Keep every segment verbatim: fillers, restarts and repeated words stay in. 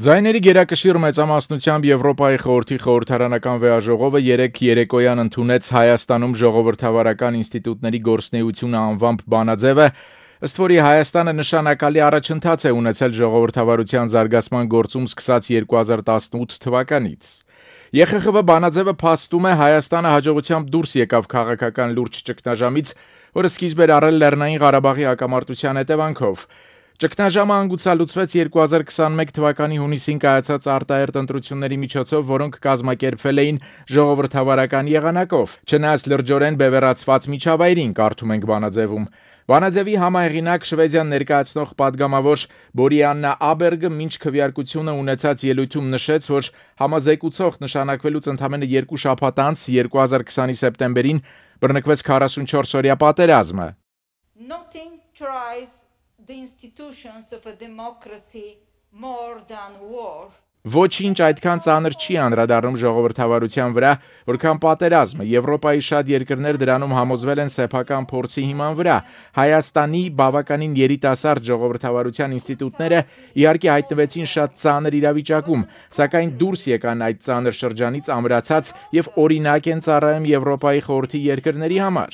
Ձայների գերակշիռ մեծամասնությամբ Եվրոպայի խորհրդի խորհրդարանական վեաժողովը երեկ երեկոյան ընդունեց Հայաստանում ժողովրդավարական ինստիտուտների գործունեությունը անվամբ բանաձևը, ըստ որի Հայաստանը նշանակալի առաջընթաց է ունեցել ժողովրդավարության զարգացման գործում սկսած երկու հազար տասնութ թվականից։ Ե Խ Խ V բանաձևը փաստում է Հայաստանը հաջողությամբ դուրս եկավ քաղաքական լուրջ ճգնաժամից, որը սկիզբ էր առել Լեռնային Ղարաբաղի հակամարտության հետևանքով։ Ճգնաժամը հանգուցալուծվեց երկու հազար քսանմեկ թվականի հունիսին կայացած արտահերթ ընտրությունների միջոցով, որոնք կազմակերպվել էին ժողովրդավարական եղանակով, չնայած լրջորեն բևեռացված միջավայրին, կարդում ենք բանաձևում։ Բանաձևի համահեղինակ Շվեդիան ներկայացնող падգամավոր Բորիաննա Աբերգը մինչ քվեարկությունը ունեցած ելույթում նշեց, որ համազեկուցող նշանակվելուց ընդամենը երկու շաբաթ անց երկու հազար քսանի սեպտեմբերին բռնկվեց քառասունչորս օրյա պատերազմը։ Nothing tries the institutions of a democracy more than war. Ոչինչ այդքան ծանր չի անդրադառնում ժողովրդավարության վրա, որքան պատերազմը։ Եվրոպայի շատ երկրներ դրանում համոզվել են սեփական փորձի հիման վրա։ Հայաստանի բավականին երիտասարդ ժողովրդավարության ինստիտուտները իհարկե հայտնվեցին շատ ծանր իրավիճակում, սակայն դուրս եկան այդ ծանր շրջանից ամրացած եւ օրինակ են ծառայում Եվրոպայի խորհրդի երկրների համար։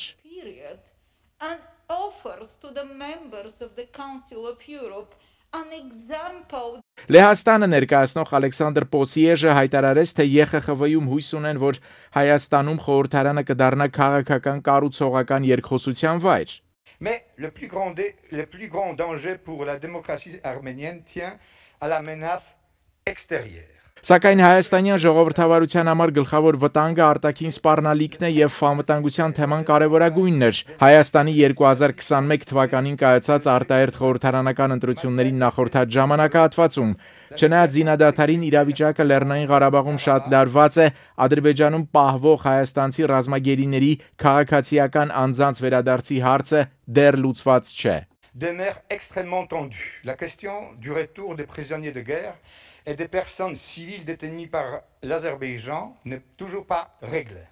And offers to the members of the Council of Europe an example. Լեհաստանը ներկայացնող Ալեքսանդր Պոսիեժը հայտարարեց, թե Ե Խ Խ V-ում հույս ունեն, որ Հայաստանում խորհրդարանը կդառնա քաղաքական կառուցողական երկխոսության վայր։ Mais le plus grand, le plus grand danger pour la démocratie arménienne tient à la menace extérieure. Սակայն հայաստանյան ժողովրդավարության համար գլխավոր վտանգը արտաքին սպառնալիքն է եւ անվտանգության թեման կարեւորագույնն էր։ Հայաստանի երկու հազար քսանմեկ թվականին կայացած արտահերթ խորհրդարանական ընտրություններին նախորդած ժամանակահատվածում, չնայած զինադադարին իրավիճակը Լեռնային Ղարաբաղում շատ լարված է, Ադրբեջանում պահվող հայաստանցի ռազմագերիների քաղաքացիական անձանց վերադարձի հարցը դեռ լուծված չէ։ Demeure extrêmement tendue. La question du retour des prisonniers de guerre et des personnes civiles détenues par l'Azerbaïdjan n'est toujours pas réglée.